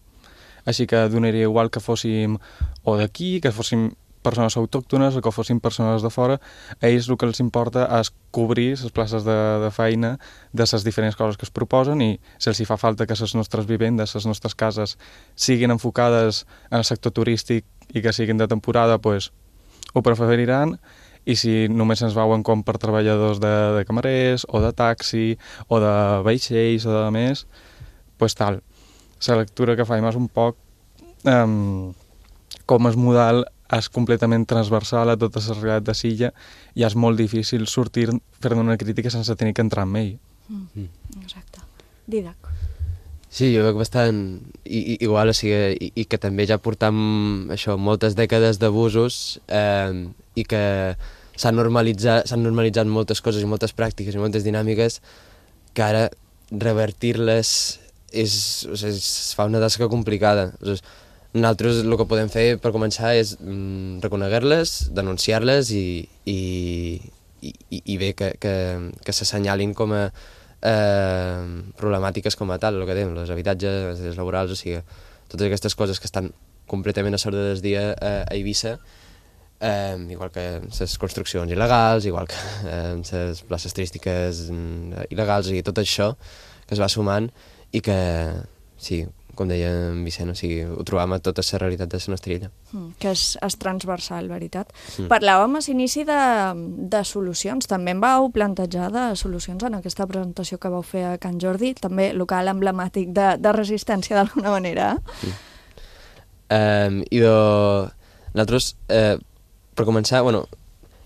Així que donaria igual que fóssim o d'aquí, que fóssim persones autòctones o que fossin persones de fora, a ells el que els importa és cobrir les places de feina de les diferents coses que es proposen i si els hi fa falta que les nostres vivendes, les nostres cases, siguin enfocades en el sector turístic i que siguin de temporada, pues, ho preferiran, i si només ens veuen com per treballadors de camarers o de taxi o de vaixells o de més, pues tal. La lectura que faim és un poc com el model és completament transversal a tota la realitat de l'illa i és molt difícil sortir fer-ne una crítica sense tenir que entrar en ell. Exacte. Didac. Sí, jo veig bastant igual, o sigui, i que també ja portam això, moltes dècades d'abusos i que s'han normalitzat moltes coses i moltes pràctiques i moltes dinàmiques que ara revertir-les es fa una tasca complicada. Nosaltres el que podem fer per començar és reconeguer-les, denunciar-les i bé que s'assenyalin com a problemàtiques com a tal, el que dèiem, els habitatges, els drets laborals, o sigui, totes aquestes coses que estan completament a l'ordre del dia a Eivissa, igual que les construccions il·legals, igual que les places turístiques il·legals, i tot això que es va sumant i que, sí, com deia en Vicent, o sigui, ho trobam a tota la realitat de la nostra illa. Que és transversal, veritat. Parlàvem a l'inici de solucions, també em vau plantejar de solucions en aquesta presentació que vau fer a Can Jordi, també local emblemàtic de resistència d'alguna manera. I nosaltres, per començar, bueno,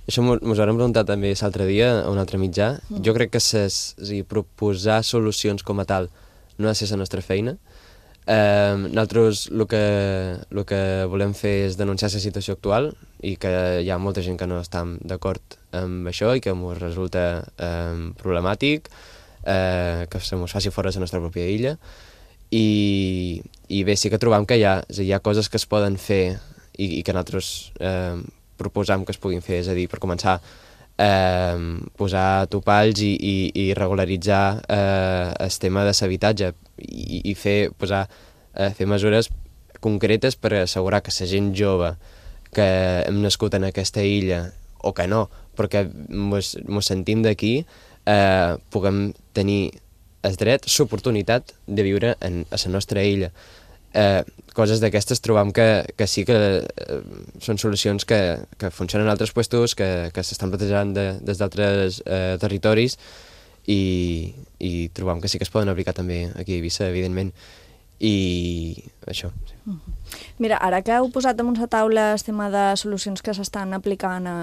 això mos ho vam preguntar també l'altre dia a un altre mitjà. Jo crec que proposar solucions com a tal no ha de ser la nostra feina. Nosaltres el que volem fer és denunciar la situació actual i que hi ha molta gent que no està d'acord amb això i que ens resulta problemàtic, que se ens faci fora de la nostra pròpia illa. I bé, sí que trobam que hi ha coses que es poden fer i que nosaltres proposam que es puguin fer, és a dir, per començar, posar topalls i regularitzar el tema de l'habitatge i fer mesures concretes per assegurar que la gent jove que hem nascut en aquesta illa, o que no, perquè mos sentim d'aquí, puguem tenir el dret, l'oportunitat de viure a la nostra illa. Coses d'aquestes trobam que sí que són solucions que funcionen en altres puestos, que s'estan plantejant des d'altres territoris i trobam que sí que es poden aplicar també aquí a Eivissa, evidentment. I això, sí. Mira, ara que heu posat damunt la taula el tema de solucions que s'estan aplicant a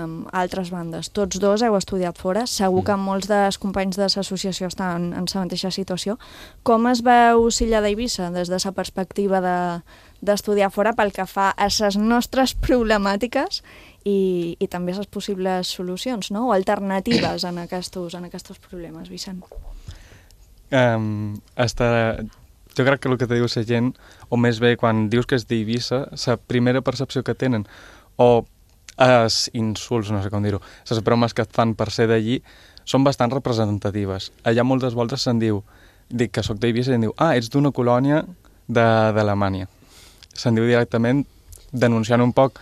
altres bandes, tots dos heu estudiat fora, segur que molts dels companys de l'associació estan en la mateixa situació. Com es veu l'illa d'Eivissa des de la perspectiva d'estudiar fora pel que fa a les nostres problemàtiques i també les possibles solucions, no? O alternatives en aquests problemes, Vicent? Jo crec que el que te diu la gent, o més bé quan dius que és d'Eivissa, la primera percepció que tenen, o els insults, no sé com dir-ho, les bromes que et fan per ser d'allí, són bastant representatives. Allà moltes voltes se'n diu, dic que soc d'Eivissa i em diu, ets d'una colònia d'Alemanya. Se'n diu directament denunciant un poc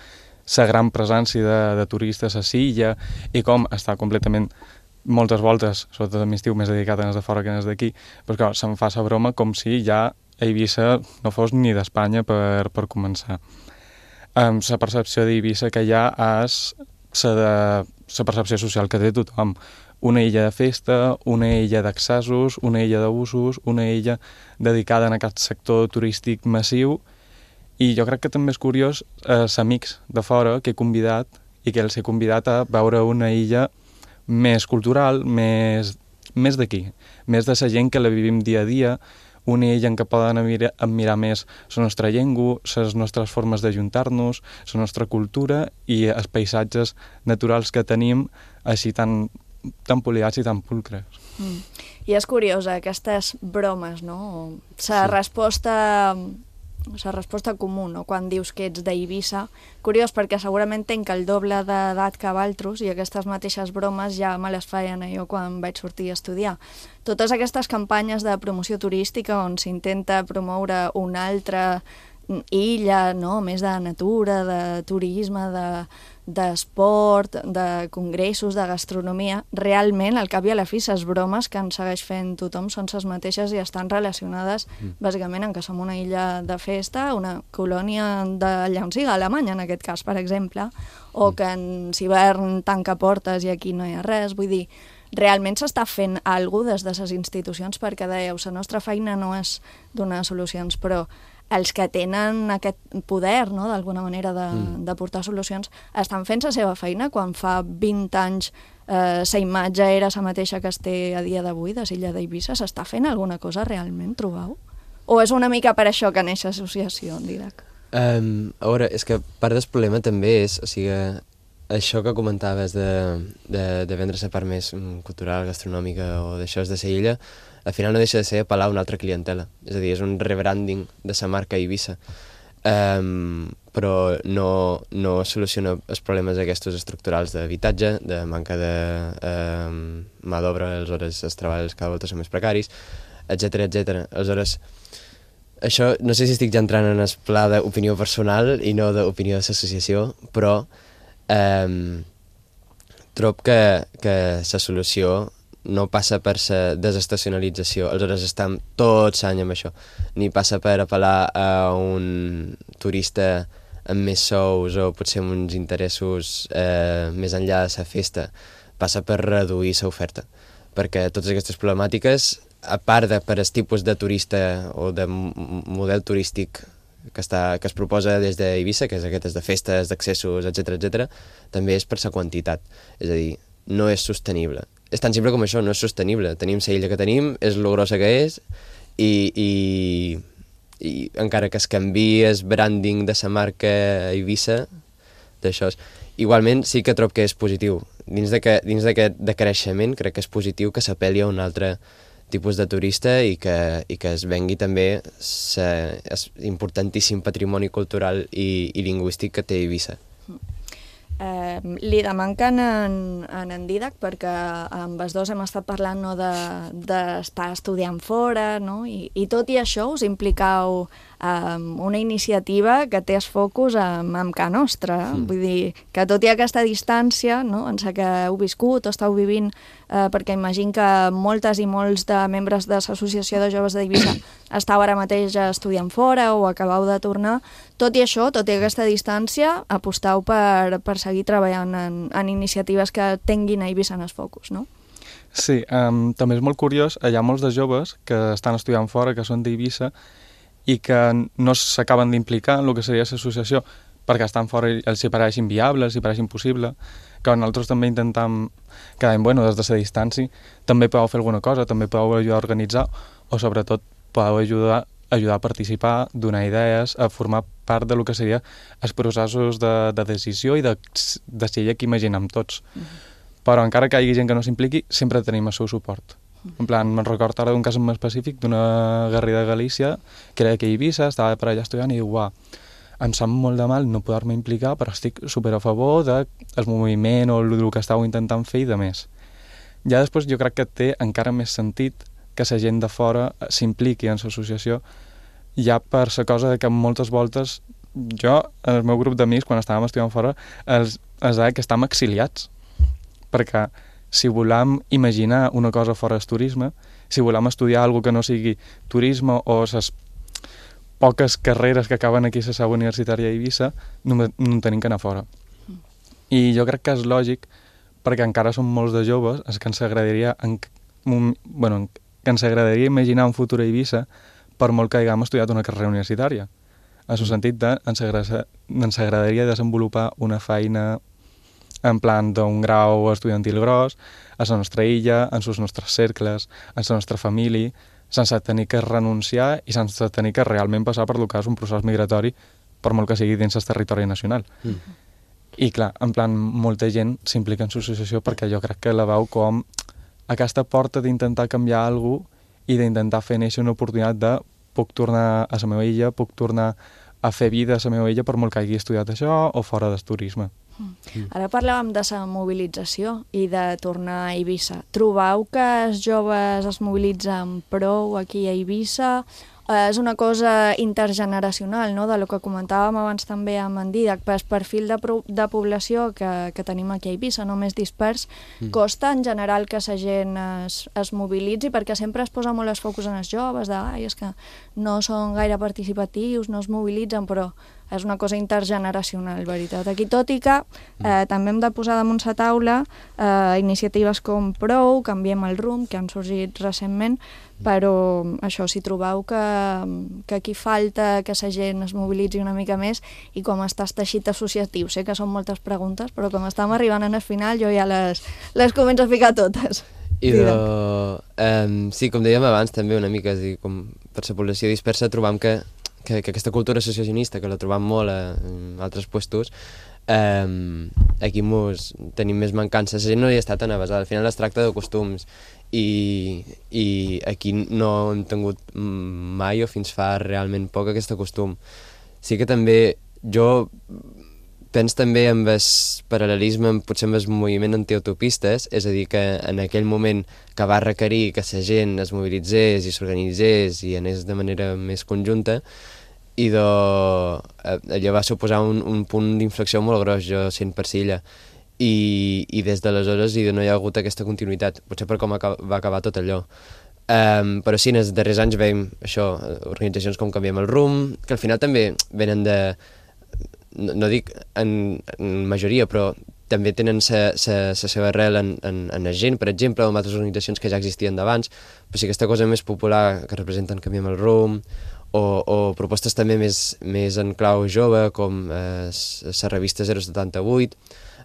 la gran presència de turistes a l'illa i com està completament moltes voltes, sobretot a l'estiu, més dedicat a les de fora que a les d'aquí, però clar, se'm fa la broma com si ja Eivissa no fos ni d'Espanya per començar. La percepció d'Eivissa que hi ha és la percepció social que té tothom. Una illa de festa, una illa d'accessos, una illa d'abusos, una illa dedicada en aquest sector turístic massiu, i jo crec que també és curiós els amics de fora que he convidat i que els he convidat a veure una illa més cultural, més d'aquí, més de la gent que la vivim dia a dia, una illa en què poden admirar més la nostra llengua, les nostres formes d'ajuntar-nos, la nostra cultura i els paisatges naturals que tenim així tan poliats i tan pulcres. I és curiosa, aquestes bromes, no? La resposta comú, no? Quan dius que ets d'Eivissa, curiós perquè segurament tenc el doble d'edat que valtros i aquestes mateixes bromes ja me les feien jo quan vaig sortir a estudiar. Totes aquestes campanyes de promoció turística on s'intenta promoure una altra illa, no? Més de natura, de turisme, d'esport, de congressos, de gastronomia, realment, al cap i a la fi, les bromes que ens segueix fent tothom són les mateixes i estan relacionades bàsicament en que som una illa de festa, una colònia d'allà on siga, Alemanya en aquest cas, per exemple, o que en hivern tanca portes i aquí no hi ha res, vull dir, realment s'està fent alguna cosa des de les institucions perquè dèieu, la nostra feina no és donar solucions, però els que tenen aquest poder, no?, d'alguna manera de portar solucions, estan fent la seva feina quan fa 20 anys la imatge era la mateixa que es té a dia d'avui de l'illa d'Eivissa. S'està fent alguna cosa realment, trobeu? O és una mica per això que neix l'associació, Didac? A veure, és que part del problema també és, o sigui, això que comentaves de vendre la part més cultural, gastronòmica o d'això de la illa, al final no deixa de ser apel·lar a una altra clientela. És a dir, és un rebranding de la marca Eivissa. Però no soluciona els problemes aquests estructurals d'habitatge, de manca de mà d'obra, aleshores els treballs cada volta són més precaris, etc. Aleshores, això no sé si estic ja entrant en el pla d'opinió personal i no d'opinió de l'associació, però trob que la solució no passa per la desestacionalització, aleshores estem tots l'any amb això, ni passa per apel·lar a un turista amb més sous o potser amb uns interessos més enllà de la festa, passa per reduir l'oferta, perquè totes aquestes problemàtiques, a part de per el tipus de turista o de model turístic que es proposa des d'Eivissa, que és aquestes de festes, d'accessos, etc., també és per la quantitat. És a dir, no és sostenible. És tan simple com això, no és sostenible. Tenim la illa que tenim, és lo grossa que és, i encara que es canviï el branding de la marca Eivissa, d'això, igualment sí que trobo que és positiu. Dins d'aquest decreixement crec que és positiu que s'apel·li a un altre tipus de turista i que es vengui també l'importantíssim patrimoni cultural i lingüístic que té Eivissa. Li demanquen en Dídac, perquè amb els dos hem estat parlant d'estar estudiant fora, i tot i això us implicau una iniciativa que té el focus amb Ca Nostra. Vull dir que tot i aquesta distància, en la que heu viscut o esteu vivint, perquè imagino que moltes i molts de membres de l'Associació de Joves d'Eivissa esteu ara mateix estudiant fora o acabeu de tornar, tot i això, tot i aquesta distància, aposteu per seguir treballant en iniciatives que tinguin a Eivissa en el focus, no? Sí, també és molt curiós, hi ha molts de joves que estan estudiant fora, que són d'Eivissa, i que no s'acaben d'implicar en el que seria l'associació perquè estan fora i els hi pareix inviable, els hi pareix impossible, que nosaltres també intentem cada any, des de la distància, també podeu fer alguna cosa, també podeu ajudar a organitzar, o sobretot podeu ajudar a participar, donar idees, a formar part del que seria els processos de decisió i de decidir que imaginem tots. Però encara que hi hagi gent que no s'impliqui, sempre tenim el seu suport. En plan, me'n recordo ara d'un cas en específic d'una guerrera de Galícia que era que a Eivissa, estava per allà estudiant i diu, em sap molt de mal no poder-me implicar, però estic super a favor del moviment o el que estàu intentant fer i de més. Ja després jo crec que té encara més sentit que la gent de fora s'impliqui en l'associació, ja per la cosa que moltes voltes jo, en el meu grup d'amics, quan estàvem estudiant fora, els deia que estem exiliats, perquè si volem imaginar una cosa fora del turisme, si volem estudiar alguna que no sigui turisme o les poques carreres que acaben aquí a la seu universitària a Eivissa, no tenim que anar fora. I jo crec que és lògic, perquè encara som molts de joves, és que ens agradaria imaginar un futur a Eivissa per molt que haguem estudiat una carrera universitària. En el sentit de ens agradaria desenvolupar una feina en plan d'un grau estudiantil gros, a la nostra illa, en els nostres cercles, en la nostra família, sense tenir que renunciar i sense tenir que realment passar per el que és un procés migratori, per molt que sigui dins el territori nacional. I clar, en plan, molta gent s'implica en l'associació perquè jo crec que la veu com aquesta porta d'intentar canviar alguna cosa i d'intentar fer néixer una oportunitat de puc tornar a la meva illa, puc tornar a fer vida a la meva illa per molt que hagi estudiat això o fora del turisme. Ara parlàvem de la mobilització i de tornar a Eivissa. Trobeu que els joves es mobilitzen prou aquí a Eivissa? És una cosa intergeneracional, no?, de lo que comentàvem abans també amb en Dídac, pel perfil de població que tenim aquí a Eivissa, no més dispers, costa en general que la gent es mobilitzi, perquè sempre es posa molt el focus en els joves, és que no són gaire participatius, no es mobilitzen, però és una cosa intergeneracional, veritat. Aquí, tot i que també hem de posar damunt la taula iniciatives com Prou, Canviem el rumb, que han sorgit recentment, però això, si trobeu que aquí falta que la gent es mobilitzi una mica més i com està el teixit associatiu. Sé que són moltes preguntes, però com estem arribant al final, jo ja les començo a ficar totes. Sí, com dèiem abans, també una mica, és a dir, com per la població dispersa trobam que aquesta cultura associacionista, que la trobam molt en altres puestos, aquí tenim més mancances. La gent no hi està tan avasada, al final es tracta de costums i aquí no hem tingut mai o fins fa realment poc aquest costum. Sí que també jo penso també en el paral·lelisme potser amb el moviment antiautopistes, és a dir, que en aquell moment que va requerir que la gent es mobilitzés i s'organitzés i anés de manera més conjunta, i allò va suposar un punt d'inflexió molt gros, jo sent per Silla. i des d'aleshores no hi ha hagut aquesta continuïtat, potser per com va acabar tot allò. Però sí, en els darrers anys veiem això, organitzacions com Canviem el Rumb, que al final també venen de, no dic en majoria, però també tenen la seva arrel en la gent, per exemple, o en altres organitzacions que ja existien d'abans, però sí aquesta cosa més popular que representen Canviem el Rumb, o propostes també més en clau jove, com la revista 078,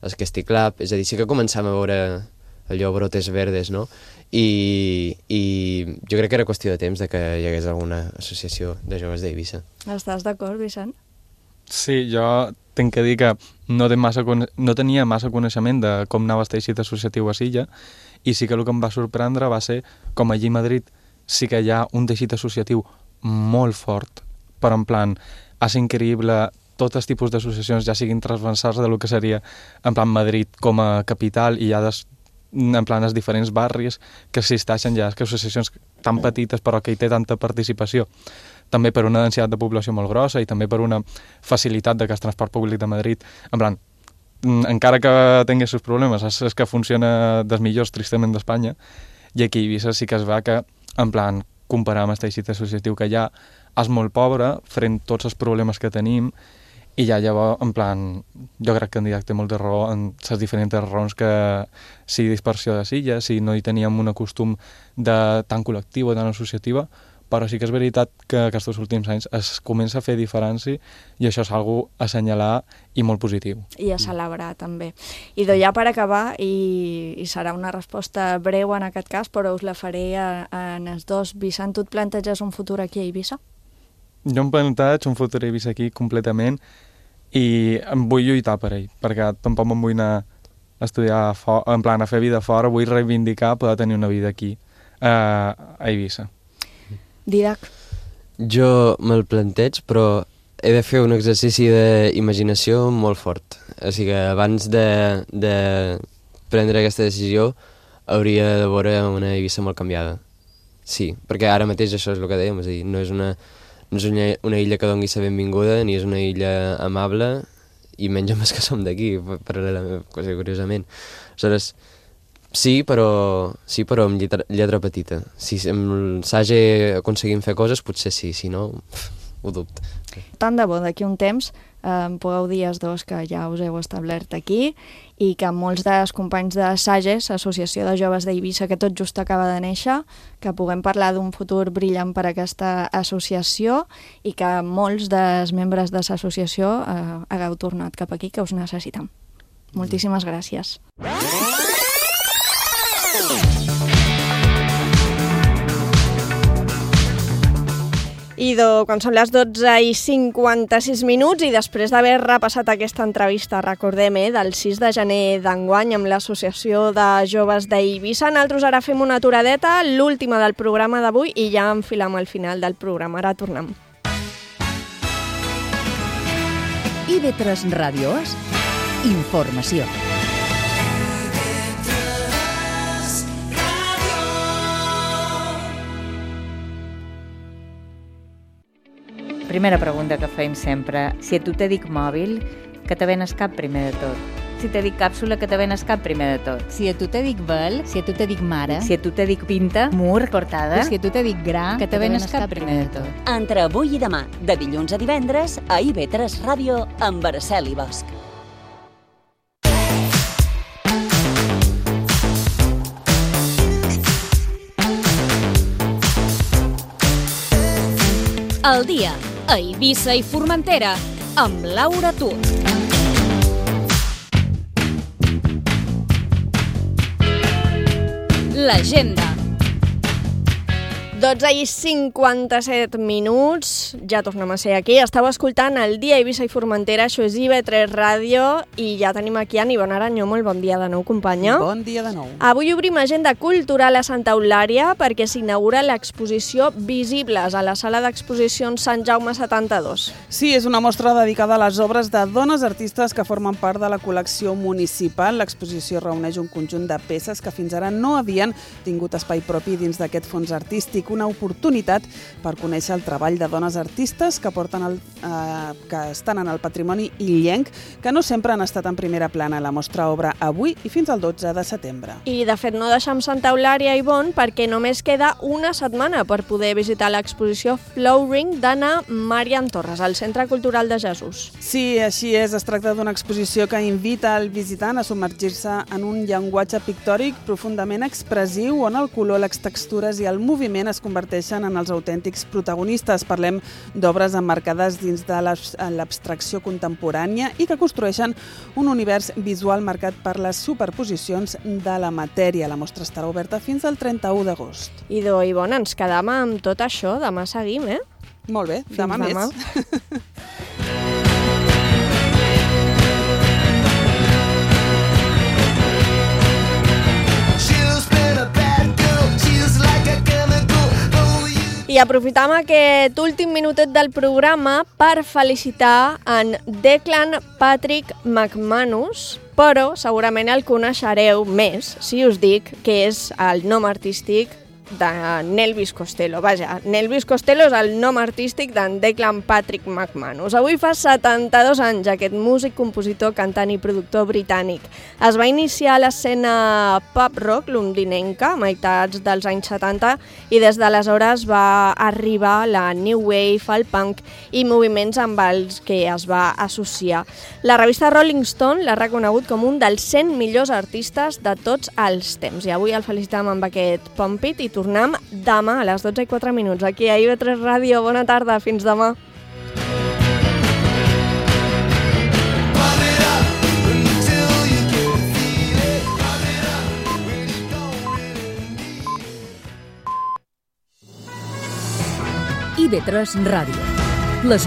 el Casti Club, és a dir, sí que començàvem a veure allò brotes verdes, no? I jo crec que era qüestió de temps de que hi hagués alguna associació de joves d'Eivissa. Estàs d'acord, Vicent? Sí, jo tinc que dir que no tenia massa coneixement de com anava el teixit associatiu a Silla, i sí que el que em va sorprendre va ser com allí a Madrid sí que hi ha un teixit associatiu molt fort, però en plan, és increïble tots els tipus d'associacions, ja siguin transversals de lo que seria en plan Madrid com a capital, i hi ha en plan els diferents barris que existeixen ja, que associacions tan petites però que hi té tanta participació, també per una densitat de població molt grossa i també per una facilitat de que el transport públic de Madrid, en plan, encara que tingui els seus problemes, és que funciona dels millors, tristament, d'Espanya, i aquí a Eivissa sí que es va que, en plan, comparar amb el teixit associatiu que hi ha, és molt pobre, frent tots els problemes que tenim, i ja llavors, en plan, jo crec que en Didac té molta raó en les diferents raons que si dispersió de Silla, si no hi teníem un costum de tan col·lectiu o tan associativa, però sí que és veritat que aquests últims anys es comença a fer diferència i això és una a assenyalar i molt positiu. I a celebrar, també. I ja per acabar, i serà una resposta breu en aquest cas, però us la faré en els dos. Vicent, tu et planteges un futur aquí a Eivissa? Jo em plantejo un futur a Eivissa aquí completament i em vull lluitar per ell, perquè tampoc me'n vull anar a estudiar, en plan a fer vida fora, vull reivindicar poder tenir una vida aquí a Eivissa. Didac? Jo me'l planteig, però he de fer un exercici d'imaginació molt fort. O sigui que abans de prendre aquesta decisió hauria de veure una Eivissa molt canviada. Sí, perquè ara mateix això és el que dèiem, és a dir, no és una illa que doni la benvinguda, ni és una illa amable, i menys amb els que som d'aquí, curiosament. Aleshores, sí, però amb lletra petita. Si amb Sage aconseguim fer coses, potser sí, si no, ho dubte. Tant de bo, d'aquí un temps pugueu dir els dos que ja us heu establert aquí i que molts dels companys de Sages, Associació de Joves d'Eivissa, que tot just acaba de néixer, que puguem parlar d'un futur brillant per a aquesta associació i que molts dels membres de l'associació hagueu tornat cap aquí, que us necessitem. Moltíssimes gràcies. I quan són les 12:56 i després d'haver repassat aquesta entrevista, recordem, del 6 de gener d'enguany amb l'Associació de Joves d'Eivissa, nosaltres ara fem una aturadeta, l'última del programa d'avui, i ja enfilam al final del programa. Ara tornem. IB3 Ràdio És informació. Primera pregunta que feim sempre. Si a tu te dic mòbil, que te ven el cap primer de tot? Si te dic càpsula, que te ven el cap primer de tot? Si a tu te dic vel, si a tu te dic mare, si a tu te dic pinta, mur, portada, si a tu te dic gra, que te ven el cap primer de tot? Entre avui i demà, de dilluns a divendres, a IB3 Ràdio, amb Araceli Bosch. El dia a Eivissa i Formentera, amb Laura Tur. L'agenda. 12:57, ja tornem a ser aquí. Estau escoltant el dia a Eivissa i Formentera, això és IB3 Ràdio, i ja tenim aquí a Ivonne Aranyó. Molt bon dia de nou, companya. Bon dia de nou. Avui obrim agenda cultural a Santa Eulària perquè s'inaugura l'exposició Visibles a la sala d'exposicions Sant Jaume 72. Sí, és una mostra dedicada a les obres de dones artistes que formen part de la col·lecció municipal. L'exposició reuneix un conjunt de peces que fins ara no havien tingut espai propi dins d'aquest fons artístic. una oportunitat per conèixer el treball de dones artistes que estan en el patrimoni illenc, que no sempre han estat en primera plana. La mostra obre avui i fins al 12 de setembre. I, de fet, no deixem Santa Eulària i Bon perquè només queda una setmana per poder visitar l'exposició Flowering d'Anna Marian Torres, al Centre Cultural de Jesús. Sí, així és. Es tracta d'una exposició que invita al visitant a submergir-se en un llenguatge pictòric profundament expressiu on el color, les textures i el moviment es converteixen en els autèntics protagonistes. Parlem d'obres emmarcades dins de l'abstracció contemporània i que construeixen un univers visual marcat per les superposicions de la matèria. La mostra estarà oberta fins al 31 d'agost. Idò i Bon, ens quedam amb tot això. Demà seguim, Molt bé, demà més. I aprofitam aquest últim minutet del programa per felicitar en Declan Patrick McManus, però segurament el coneixereu més si us dic que és el nom artístic de Nelvis Costello. Vaja, Nelvis Costello és el nom artístic d'en Declan Patrick McManus. Avui fa 72 anys aquest músic, compositor, cantant i productor britànic. Es va iniciar a l'escena pop-rock londinenca a meitats dels anys 70 i des d'aleshores va arribar la New Wave, el punk i moviments amb els que es va associar. La revista Rolling Stone l'ha reconegut com un dels 100 millors artistes de tots els temps. I avui el felicitam amb aquest Pump It i tornem demà a les 12:04 aquí a IB3 Ràdio. Bona tarda, fins demà. IB3 Ràdio. Les